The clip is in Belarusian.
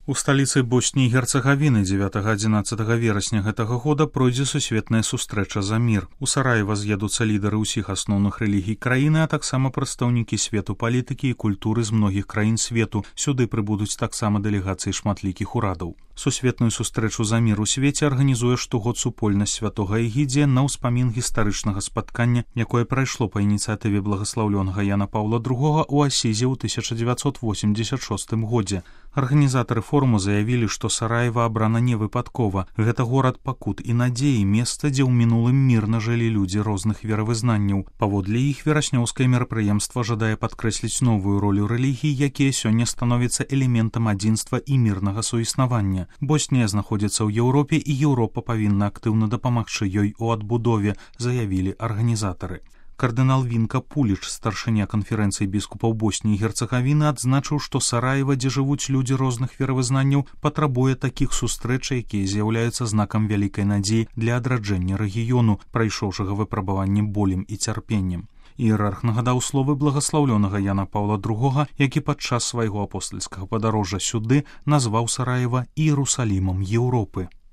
У сталіцы Боснии і Герцеговины 9-11 верасня гэтага года пройдзе сусветная сустрэча за мір. У Сараева з'едуцца лідары ўсіх асноўных рэлігій краіны, а таксама прадстаўнікі свету палітыкі і культуры з многіх краін свету. Сюды прыбудуць таксама дэлегацыі шматлікіх урадаў. Сусветную сустрэчу за мір у свеце арганізуе штогод супольнасць святога Эгідзія на ўспамін гістарычнага спаткання, якое прайшло па ініцыятыве благаслаўлёнага Яна Паўла II у Асізе ў 1986 годзе. Арганізатары форуму заявілі, што Сараева абрана не выпадкова. Гэта горад пакут і надзеі, месца, дзе ў мінулым мірна жылі людзі розных веравызнанняў. Паводле іх вераснёўскае мерапрыемства жадае падкрэсліць новую ролю рэлігій, якія сёння становяцца элементам адзінства і мірнага суіснавання. Боснія знаходзіцца ў Еўропе, і Еўропа павінна актыўна дапамагчы ёй у адбудове, заявілі арганізатары. Кардынал Вінка Пуліч, старшыня канферэнцыі біскупаў Боснії і Герцеговіны, адзначыў, што Сараева, дзе жывуць людзі розных веравызнанняў, патрабуе такіх сустрэч, якія з'яўляюцца знакам вялікай надзеі для адраджэння рэгіёну, прайшоўшага выпрабаванне болем і цярпеннем. Іерарх нагадаў словы благаслаўлёнага Яна Паўла II, які падчас свайго апостальскага падарожжа сюды назваў Сараева Іерусалімам Еўропы.